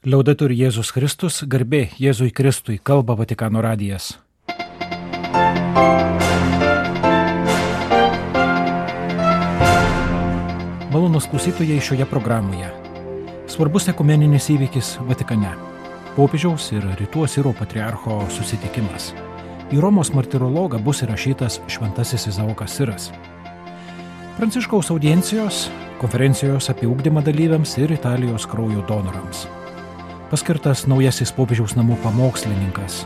Liaudetur Jėzus Kristus, garbė Jėzui Kristui, kalba Vatikano radijas. Malonūs klausytojai šioje programoje. Svarbus ekumeninis įvykis Vatikane. Popiežiaus ir Rytų Asirų patriarcho susitikimas. Į Romos martirologą bus įrašytas šventasis Izaokas Siras. Pranciškaus audiencijos, konferencijos apie ugdymą dalyviams ir Italijos kraujo donorams. Paskirtas naujasis popiežiaus namų pamokslininkas.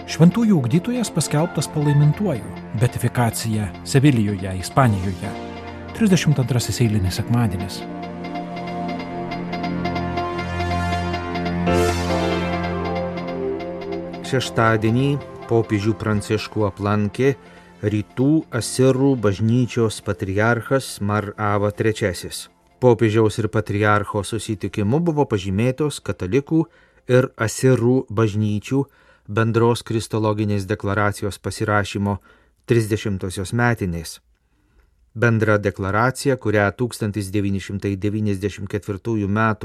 Šventųjų ugdytojas paskelbtas palaimintuoju. Beatifikacija Sevilijoje, Ispanijoje. 32 eilinis sekmadienis. Šeštadienį popiežių Pranciškų aplankė Rytų Asirų bažnyčios patriarchas Mar Ava III. Popiežiaus ir patriarcho susitikimu buvo pažymėtos katalikų ir Asirų bažnyčių bendros kristologinės deklaracijos pasirašymo 30-osios metinės. Bendra deklaracija, kurią 1994 m.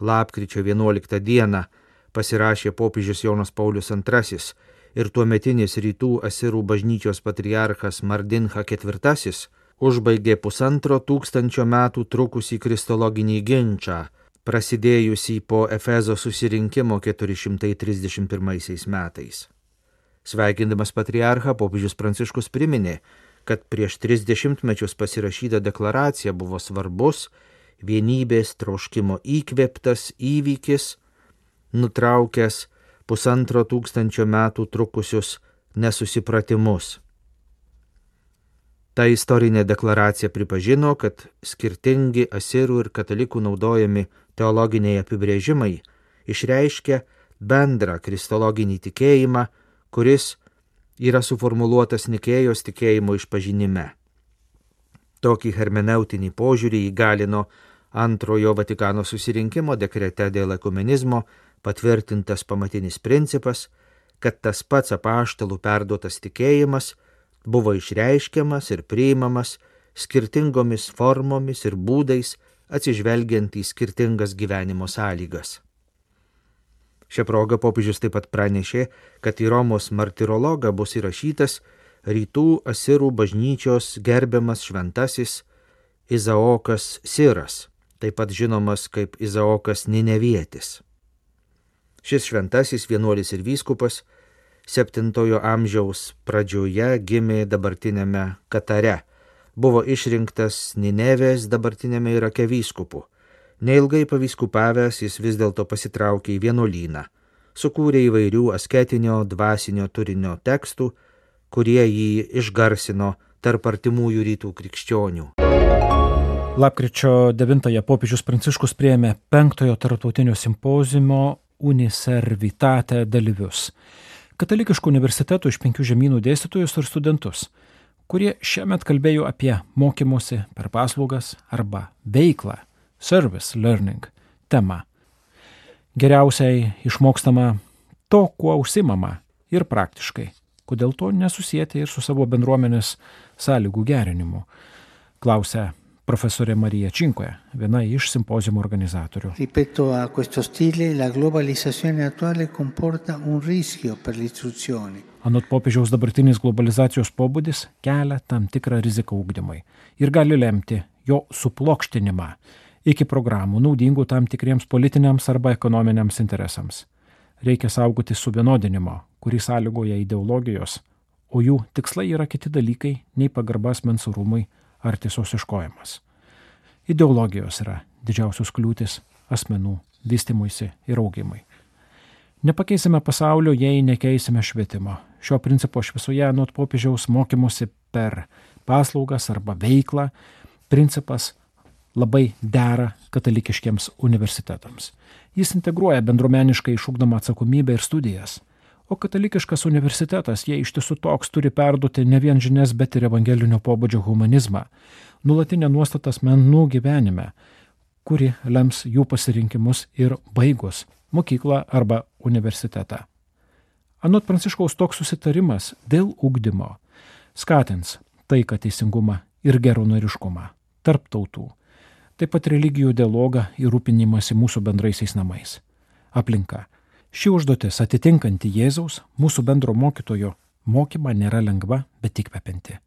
lapkričio 11 d. pasirašė popiežius Jonas Paulius II ir tuometinis Rytų Asirų bažnyčios patriarchas Mardincha IV, užbaigė 1500 metų trukusį kristologinį ginčą, prasidėjusį po Efezo susirinkimo 431 metais. Sveikindamas patriarchą, popiežius Pranciškus priminė, kad prieš 30 mečius pasirašyta deklaracija buvo svarbus, vienybės troškimo įkvėptas įvykis, nutraukęs 1500 metų trukusius nesusipratimus. Ta istorinė deklaracija pripažino, kad skirtingi asirų ir katalikų naudojami teologiniai apibrėžimai išreiškia bendrą kristologinį tikėjimą, kuris yra suformuluotas Nikėjos tikėjimo išpažinime. Tokį hermeneutinį požiūrį įgalino antrojo Vatikano susirinkimo dekrete dėl ekumenizmo patvirtintas pamatinis principas, kad tas pats apaštalų perduotas tikėjimas buvo išreiškiamas ir priimamas skirtingomis formomis ir būdais atsižvelgiant į skirtingas gyvenimo sąlygas. Šią progą popiežius taip pat pranešė, kad į Romos martirologą bus įrašytas Rytų Asirų bažnyčios gerbiamas šventasis Izaokas Siras, taip pat žinomas kaip Izaokas Ninevietis. Šis šventasis vienuolis ir vyskupas 7 amžiaus pradžioje gimė dabartinėme Katare, buvo išrinktas Ninevės dabartinėme Irake vyskupu. Neilgai pavyskupavęs jis vis dėlto pasitraukė į vienuolyną, sukūrė įvairių asketinio, dvasinio turinio tekstų, kurie jį išgarsino tarp artimųjų rytų krikščionių. Lapkričio 9 popiežius Pranciškus priėmė 5 tarptautinio simpoziumo Uniservitate dalyvius. Katalikiškų universitetų iš 5 žemynų dėstytojus ir studentus, kurie šiemet kalbėjo apie mokymosi per paslaugas arba veiklą, service learning temą. Geriausiai išmokstama to, kuo užsimama ir praktiškai, kodėl to nesusijęti ir su savo bendruomenės sąlygų gerinimu, klausia profesorė Marija Cinque, viena iš simpoziumo organizatorių. Rispetto a questo stile, la globalizzazione attuale comporta un rischio per l'istruzione. Anot popiežiaus dabartinis globalizacijos pobūdis kelia tam tikrą riziką ugdymui ir gali lemti jo suplokštinimą iki programų naudingų tam tikriems politiniams arba ekonominiams interesams. Reikia saugoti suvienodinimo, kurį sąlygoja ideologijos, o jų tikslai yra kiti dalykai nei pagarba asmens orumui ar tiesos ieškojimas. Ideologijos yra didžiausios kliūtis asmenų vystymuisi ir augimui. Nepakeisime pasaulio, jei nekeisime švietimo. Šio principo šviesoje anot popiežiaus mokymosi per paslaugas arba veiklą principas labai dera katalikiškiems universitetams. Jis integruoja bendruomeniškai išugdomą atsakomybę ir studijas. O katalikiškas universitetas, jei iš tiesų toks, turi perduoti ne vien žinias, bet ir evangelinio pobūdžio humanizmą, nuolatinę nuostatą asmenų gyvenime, kuri lems jų pasirinkimus ir baigus mokyklą arba universitetą. Anot Pranciškaus toks susitarimas dėl ugdymo skatins taiką, teisingumą ir geranoriškumą tarp tautų, taip pat religijų dialogą ir rūpinimąsi mūsų bendraisiais namais. aplinka. Ši užduotis atitinkanti Jėzaus, mūsų bendro mokytojo mokymą nėra lengva, bet įkvepianti.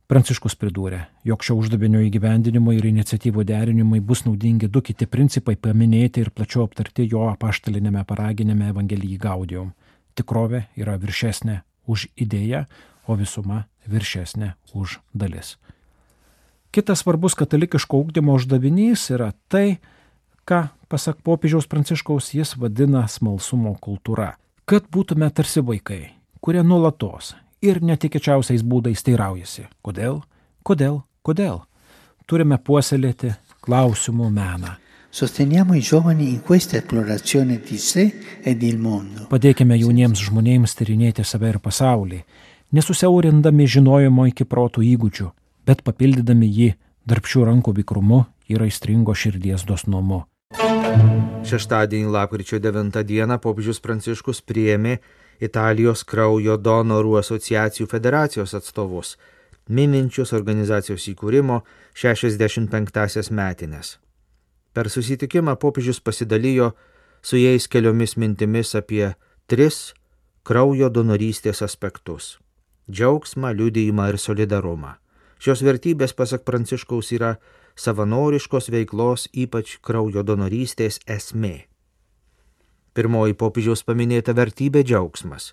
Pranciškus pridūrė, jog šio uždavinio įgyvendinimui ir iniciatyvų derinimui bus naudingi du kiti principai paminėti ir plačiau aptarti jo apaštalinėme paraginime Evangelijai Gaudium. Tikrovė yra viršesnė už idėją, o visuma viršesnė už dalis. Kitas svarbus katalikiško ugdymo uždavinys yra tai, ką, pasak popiežiaus Pranciškaus, jis vadina smalsumo kultūra. Kad būtume tarsi vaikai, kurie nuolatos ir netikėčiausiais būdais teiraujasi. Kodėl? Turime puoselėti klausimų meną. Sosteniamo I giovani in questa esplorazione di sé e del mondo. Padėkime jauniems žmonėms tyrinėti save ir pasaulį, nesusiaurindami žinojimo iki protų įgūdžių, bet papildydami jį darbščių rankų vikrumu ir aistringo širdies dosnumu. Šeštadienį lapkričio 9 dieną popiežius Pranciškus priėmė Italijos kraujo donorų asociacijų federacijos atstovus, mininčius organizacijos įkūrimo 65-asias metinės. Per susitikimą popiežius pasidalijo su jais keliomis mintimis apie 3 kraujo donorystės aspektus – džiaugsmą, liudijimą ir solidarumą. Šios vertybės, pasak Pranciškaus, yra savanoriškos veiklos, ypač kraujo donorystės esmė. Pirmoji popiežiaus paminėta vertybė – džiaugsmas.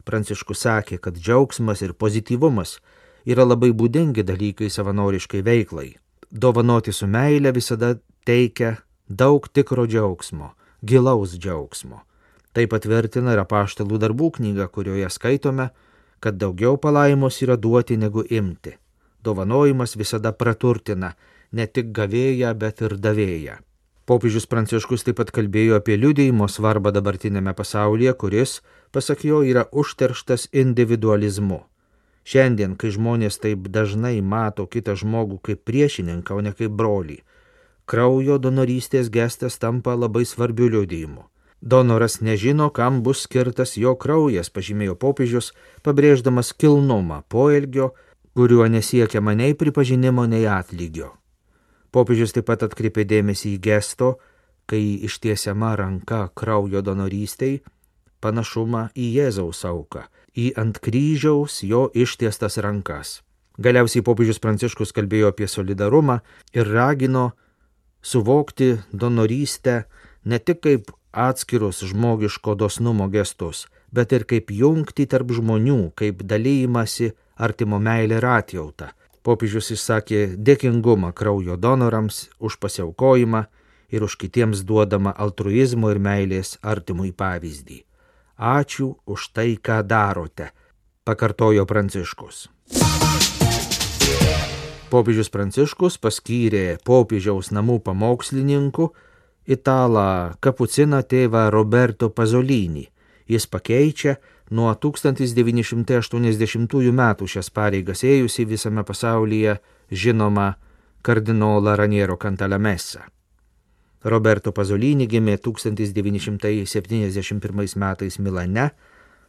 Pranciškus sakė, kad džiaugsmas ir pozityvumas yra labai būdingi dalykai savanoriškai veiklai. Dovanoti su meile visada teikia daug tikro džiaugsmo, gilaus džiaugsmo. Tai patvirtina ir apaštalų darbų knyga, kurioje skaitome, kad daugiau palaimos yra duoti negu imti. Dovanojimas visada praturtina ne tik gavėją, bet ir davėją. Popiežius Pranciškus taip pat kalbėjo apie liudijimo svarbą dabartinėme pasaulyje, kuris, pasak jo, yra užterštas individualizmu. Šiandien, kai žmonės taip dažnai mato kitą žmogų kaip priešininką, o ne kaip brolį, kraujo donorystės gestas tampa labai svarbiu liudijimu. Donoras nežino, kam bus skirtas jo kraujas, pažymėjo popiežius, pabrėždamas kilnumą poelgio, kuriuo nesiekiama nei pripažinimo, nei atlygio. Popiežius taip pat atkreipė dėmesį į gesto, kai ištiesiama ranka kraujo donorystei, panašumą į Jėzaus auką, į ant kryžiaus jo ištiestas rankas. Galiausiai popiežius Pranciškus kalbėjo apie solidarumą ir ragino suvokti donorystę ne tik kaip atskirus žmogiško dosnumo gestus, bet ir kaip jungtį tarp žmonių, kaip dalijimąsi artimo meilę ir atjautą. Popiežius išsakė dėkingumą kraujo donorams už pasiaukojimą ir už kitiems duodamą altruizmo ir meilės artimui pavyzdį. Ačiū už tai, ką darote, pakartojo Pranciškus. Popiežius Pranciškus paskyrė popiežiaus namų pamokslininku italą kapuciną tėvą Roberto Pazolinį. Jis pakeičia nuo 1980 metų šias pareigas ėjusi visame pasaulyje žinoma kardinolą Raniero Cantalamessa. Roberto Pazolinį gimė 1971 metais Milane,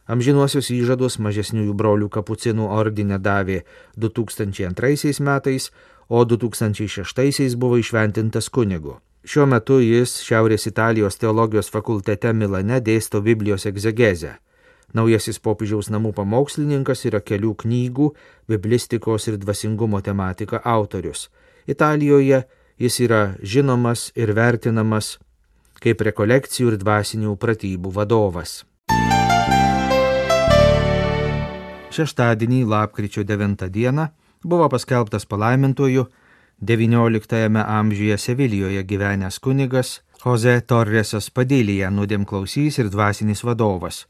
amžinuosius įžadus mažesniųjų brolių kapucinų ordine davė 2002 metais, o 2006 buvo įšventintas kunigu. Šiuo metu jis Šiaurės Italijos teologijos fakultete Milane dėsto Biblijos egzegezę. Naujasis popiežiaus namų pamokslininkas yra kelių knygų, biblistikos ir dvasingumo tematika autorius. Italijoje jis yra žinomas ir vertinamas kaip rekolekcijų ir dvasinių pratybų vadovas. Šeštadienį, lapkričio 9 dieną, buvo paskelbtas palaimintuoju XIX amžiuje Sevilijoje gyvenęs kunigas Jose Torresas Padilija, nuodėmklausys ir dvasinis vadovas.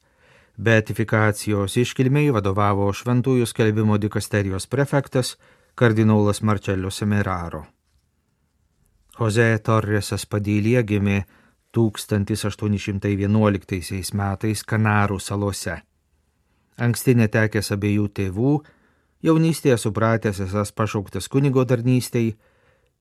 Beatifikacijos iškilmei vadovavo šventųjų skelbimo dikasterijos prefektas kardinolas Marcello Semeraro. Jose Torresas Padilija gimė 1811 metais Kanarų salose. Anksti netekęs abiejų tėvų, jaunystėje supratęs esąs pašauktas kunigo tarnystei,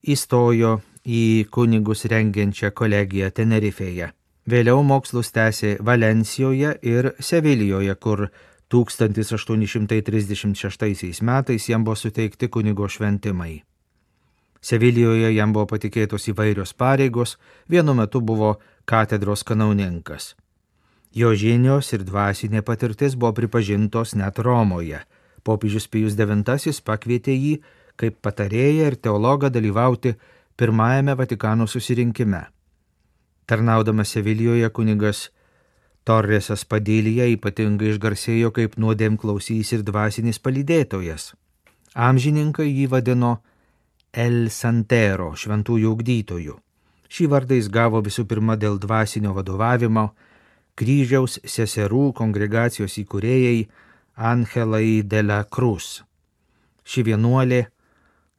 įstojo į kunigus rengiančią kolegiją Tenerifėje. Vėliau mokslus tęsė Valencijoje ir Sevilijoje, kur 1836 metais jam buvo suteikti kunigo šventimai. Sevilijoje jam buvo patikėtos įvairios pareigos, vienu metu buvo katedros kanauninkas. Jo žinios ir dvasinė patirtis buvo pripažintos net Romoje. Popiežius Pijus IX pakvietė jį kaip patarėją ir teologą dalyvauti pirmajame Vatikano susirinkime. Tarnaudamas Sevilijoje kunigas Torresas Padilija ypatingai išgarsėjo kaip nuodėmklausys ir dvasinis palydėtojas. Amžininkai jį vadino El Santero, šventųjų ugdytojų. Šį vardą jis gavo visų pirma dėl dvasinio vadovavimo Kryžiaus seserų kongregacijos įkūrėjai Angelai de la Cruz. Ši vienuolė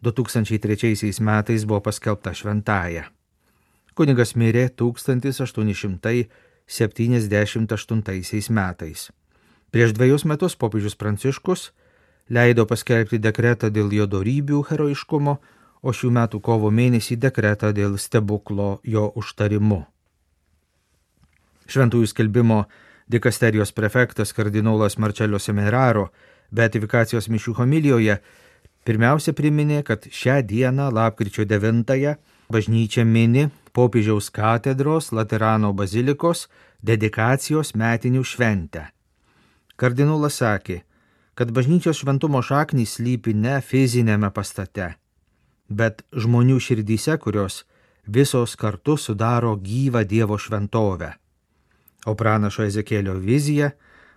2003 metais buvo paskelbta šventąja. Kunigas mirė 1878 metais. Prieš 2 metus popiežius Pranciškus leido paskelbti dekretą dėl jo dorybių heroiškumo, o šių metų kovo mėnesį dekretą dėl stebuklo jo užtarimu. Šventųjų skelbimo dikasterijos prefektas kardinolas Marcello Semeraro beatifikacijos mišių homilijoje pirmiausia priminė, kad šią dieną, lapkričio 9, bažnyčia mini popiežiaus katedros Laterano bazilikos dedikacijos metinių šventę. Kardinolas sakė, kad bažnyčios šventumo šaknys slypi ne fizinėme pastate, bet žmonių širdyse, kurios visos kartu sudaro gyvą Dievo šventovę. O pranašo Ezekėlio vizija,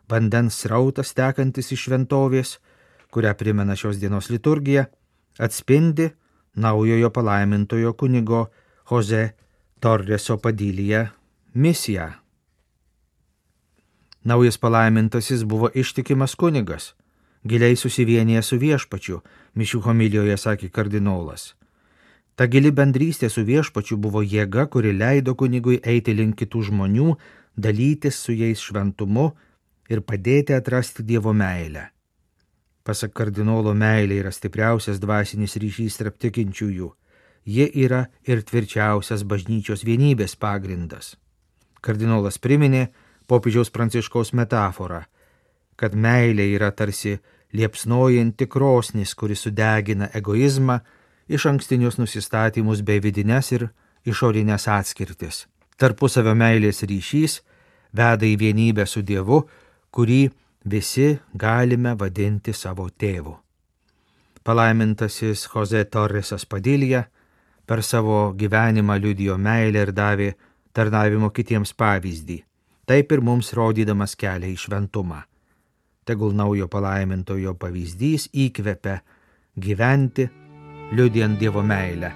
vandens srautas tekantis iš šventovės, kurią primena šios dienos liturgija, atspindi naujojo palaimintojo kunigo Jose Torreso Padilija misiją. Naujas palaimintasis buvo ištikimas kunigas, giliai susivienijęs su viešpačiu, mišių homilijoje sakė kardinolas. Ta gili bendrystė su viešpačiu buvo jėga, kuri leido kunigui eiti link kitų žmonių, dalytis su jais šventumu ir padėti atrasti Dievo meilę. Pasak kardinolo, meilė yra stipriausias dvasinis ryšys tarp tikinčiųjų. Ji yra ir tvirčiausias bažnyčios vienybės pagrindas. Kardinolas priminė popiežiaus Pranciškaus metaforą, kad meilė yra tarsi liepsnojanti krosnis, kuri sudegina egoizmą, iš ankstinius nusistatymus bei vidines ir išorinės atskirtis. Tarpusavio meilės ryšys veda į vienybę su Dievu, kurį visi galime vadinti savo tėvu. Palaimintasis Jose Torresas Padilija per savo gyvenimą liudijo meilę ir davė tarnavimo kitiems pavyzdį, taip ir mums rodydamas kelią į šventumą. Tegul naujo palaimintojo pavyzdys įkvepia gyventi, liudijant Dievo meilę.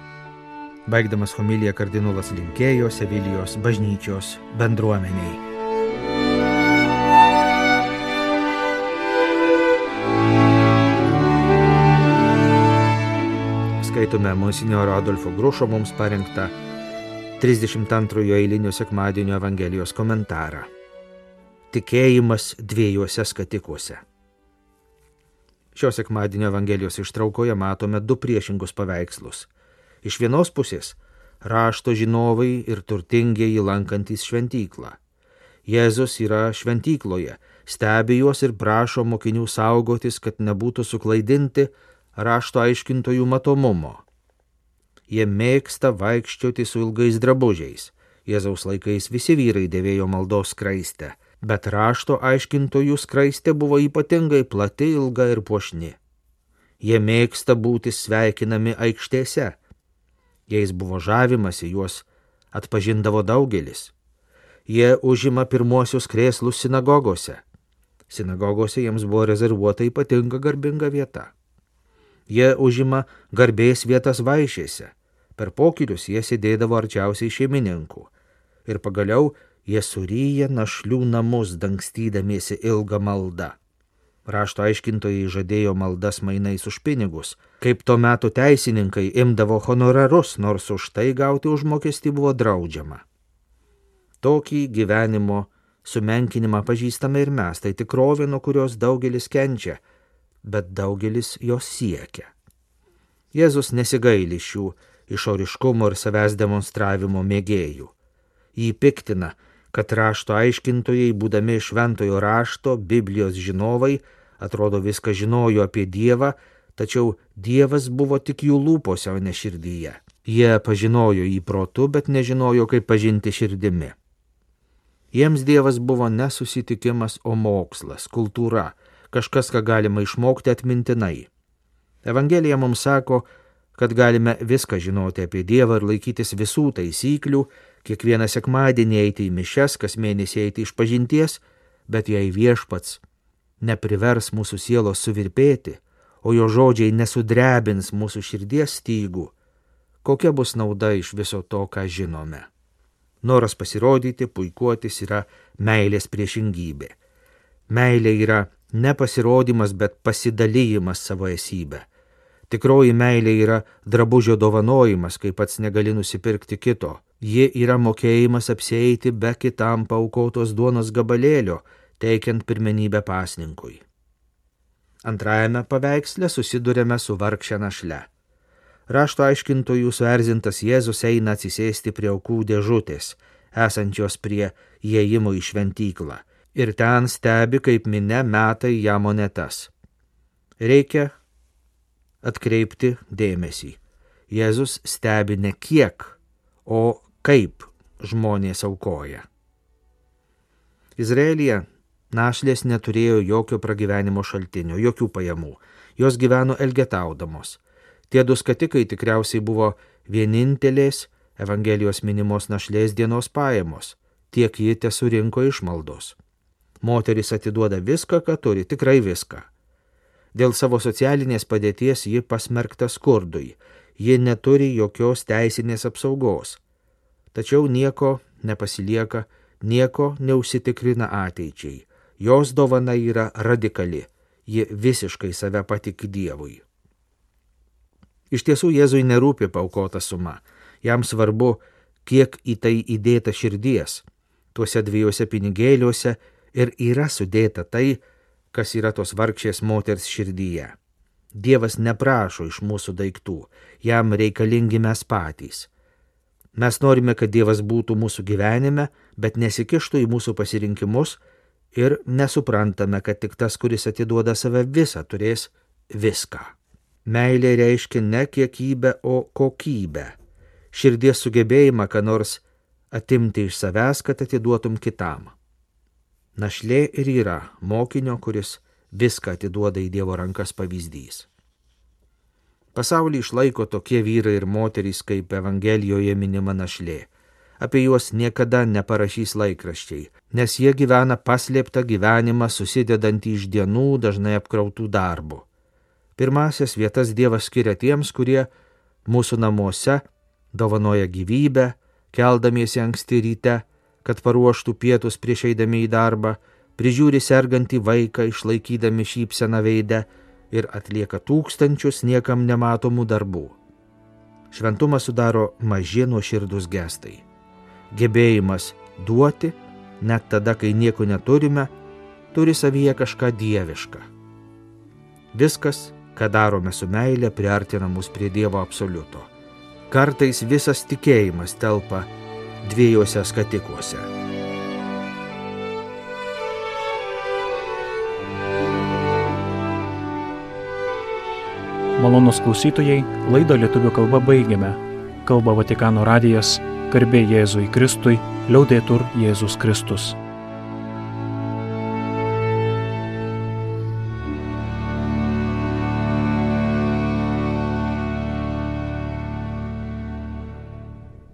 Baigdamas homiliją kardinolas linkėjo Sevilijos bažnyčios bendruomeniai. Skaitome monsinjoro Adolfo Grušo mums parengtą 32 eilinio sekmadienio Evangelijos komentarą. Tikėjimas dviejuose skatikuose. Šio sekmadienio Evangelijos ištraukoje matome 2 priešingus paveikslus. Iš vienos pusės rašto žinovai ir turtingieji lankantys šventyklą. Jėzus yra šventykloje, stebi juos ir prašo mokinių saugotis, kad nebūtų suklaidinti rašto aiškintojų matomumo. Jie mėgsta vaikščioti su ilgais drabužiais. Jėzaus laikais visi vyrai dėvėjo maldos skraistę, bet rašto aiškintojų skraistė buvo ypatingai plati, ilga ir puošni. Jie mėgsta būti sveikinami aikštėse. Jais buvo žavimasi, juos atpažindavo daugelis. Jie užima pirmuosius krėslus sinagogose. Sinagogose jiems buvo rezervuota ypatinga garbinga vieta. Jie užima garbės vietas vaišėse. Per pokylius jie sėdėdavo arčiausiai šeimininkų. Ir pagaliau jie suryja našlių namus, dangstydamiesi ilgą maldą. Rašto aiškintojai žadėjo maldas mainais už pinigus, kaip to meto teisininkai imdavo honorarus, nors už tai gauti užmokestį buvo draudžiama. Tokį gyvenimo sumenkinimą pažįstame ir mes, tai tikrovė, nuo kurios daugelis kenčia, bet daugelis jos siekia. Jėzus nesigaili šių išoriškumo ir savęs demonstravimo mėgėjų. Jį piktina, kad rašto aiškintojai, būdami šventojo rašto, Biblijos žinovai, atrodo viską žinojo apie Dievą, tačiau Dievas buvo tik jų lūpose, o ne širdyje. Jie pažinojo jį protu, bet nežinojo, kaip pažinti širdimi. Jiems Dievas buvo nesusitikimas, o mokslas, kultūra, kažkas, ką galima išmokti atmintinai. Evangelija mums sako, kad galime viską žinoti apie Dievą ir laikytis visų taisyklių, kiekvieną sekmadienį eiti į mišias, kas mėnesį eiti išpažinties, bet jei Viešpats neprivers mūsų sielos suvirpėti, o jo žodžiai nesudrebins mūsų širdies stygų, kokia bus nauda iš viso to, ką žinome? Noras pasirodyti, puikuotis yra meilės priešingybė. Meilė yra ne pasirodymas, bet pasidalyjimas savo esybę. Tikroji meilė yra drabužio dovanojimas, kai pats negali nusipirkti kito. Ji yra mokėjimas apsieiti be kitam paaukotos duonos gabalėlio, teikiant pirmenybę pasninkui. Antrajame paveiksle susidurėme su vargše našle. Rašto aiškintojų suerzintas Jėzus eina atsisėsti prie aukų dėžutės, esančios prie įėjimo į šventyklą, ir ten stebi, kaip minia meta į ją monetas. Reikia atkreipti dėmesį. Jėzus stebi ne kiek, o kaip žmonės aukoja. Izraelyje našlės neturėjo jokio pragyvenimo šaltinio, jokių pajamų. Jos gyveno elgetaudamos. Tie du skatikai tikriausiai buvo vienintelės Evangelijos minimos našlės dienos pajamos, tiek ji tesurinko išmaldos. Moteris atiduoda viską, ką turi, tikrai viską. Dėl savo socialinės padėties ji pasmerkta skurdui, ji neturi jokios teisinės apsaugos. Tačiau nieko nepasilieka, nieko neužsitikrina ateičiai. Jos dovana yra radikali, ji visiškai save patiki Dievui. Iš tiesų Jėzui nerūpi paaukota suma, jam svarbu, kiek į tai įdėta širdies. Tuose 2 pinigėliuose ir yra sudėta tai, kas yra tos vargšės moters širdyje. Dievas neprašo iš mūsų daiktų, jam reikalingi mes patys. Mes norime, kad Dievas būtų mūsų gyvenime, bet nesikištų į mūsų pasirinkimus ir nesuprantame, kad tik tas, kuris atiduoda save visą, turės viską. Meilė reiškia ne kiekybę, o kokybę. Širdies sugebėjimą, ką nors atimti iš savęs, kad atiduotum kitam. Našlė ir yra mokinio, kuris viską atiduoda į Dievo rankas pavyzdys. Pasaulį išlaiko tokie vyrai ir moterys, kaip Evangelijoje minima našlė. Apie juos niekada neparašys laikraščiai, nes jie gyvena paslėptą gyvenimą, susidedantį iš dienų, dažnai apkrautų darbų. Pirmasias vietas Dievas skiria tiems, kurie mūsų namuose dovanoja gyvybę, keldamiesi anksti ryte, kad paruoštų pietus prieš eidami į darbą, prižiūri sergantį vaiką, išlaikydami šypseną veidę ir atlieka tūkstančius niekam nematomų darbų. Šventumą sudaro maži nuoširdūs gestai. Gebėjimas duoti, net tada, kai nieko neturime, turi savyje kažką dievišką. Viskas, ką darome su meile, priartina mus prie Dievo absoliuto. Kartais visas tikėjimas telpa 2 skatikuose. Malonūs klausytojai, laidą lietuvių kalba baigiame. Kalba Vatikano radijas, garbė Jėzui Kristui, liaudetur Jėzus Kristus.